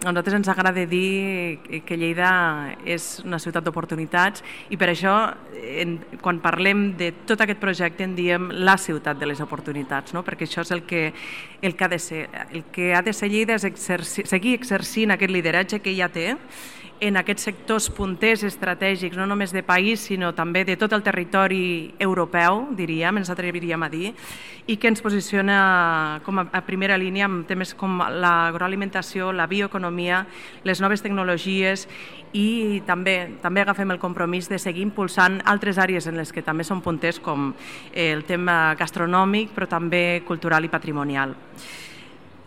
A nosaltres ens agrada dir que Lleida és una ciutat d'oportunitats i per això, quan parlem de tot aquest projecte, en diem la ciutat de les oportunitats, no? Perquè això és el que ha de ser. El que ha de ser Lleida és seguir exercint aquest lideratge que ja té en aquests sectors punters estratègics, no només de país, sinó també de tot el territori europeu, diríem, ens atreviríem a dir, i que ens posiciona com a primera línia en temes com l'agroalimentació, la bioeconomia, les noves tecnologies, i també agafem el compromís de seguir impulsant altres àrees en les que també són punters, com el tema gastronòmic, però també cultural i patrimonial.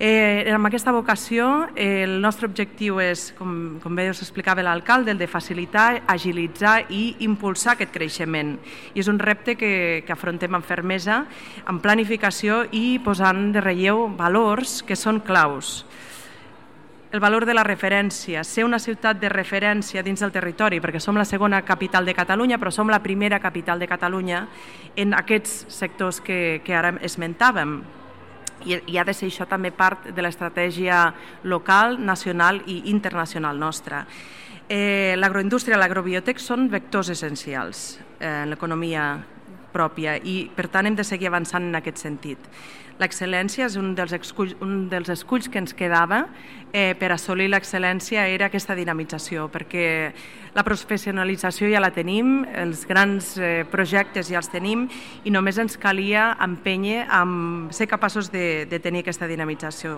Amb aquesta vocació, el nostre objectiu és, com bé us explicava l'alcalde, el de facilitar, agilitzar i impulsar aquest creixement. I és un repte que afrontem amb fermesa, amb planificació i posant de relleu valors que són claus. El valor de la referència, ser una ciutat de referència dins del territori, perquè som la segona capital de Catalunya, però som la primera capital de Catalunya en aquests sectors que ara esmentàvem. I ha de ser això també part de l'estratègia local, nacional i internacional nostra. L'agroindústria i l'agrobiotec són vectors essencials en l'economia pròpia i, per tant, hem de seguir avançant en aquest sentit. L'excel·lència és un dels esculls que ens quedava per assolir l'excel·lència, era aquesta dinamització, perquè la professionalització ja la tenim, els grans projectes ja els tenim i només ens calia empènyer a ser capaços de tenir aquesta dinamització.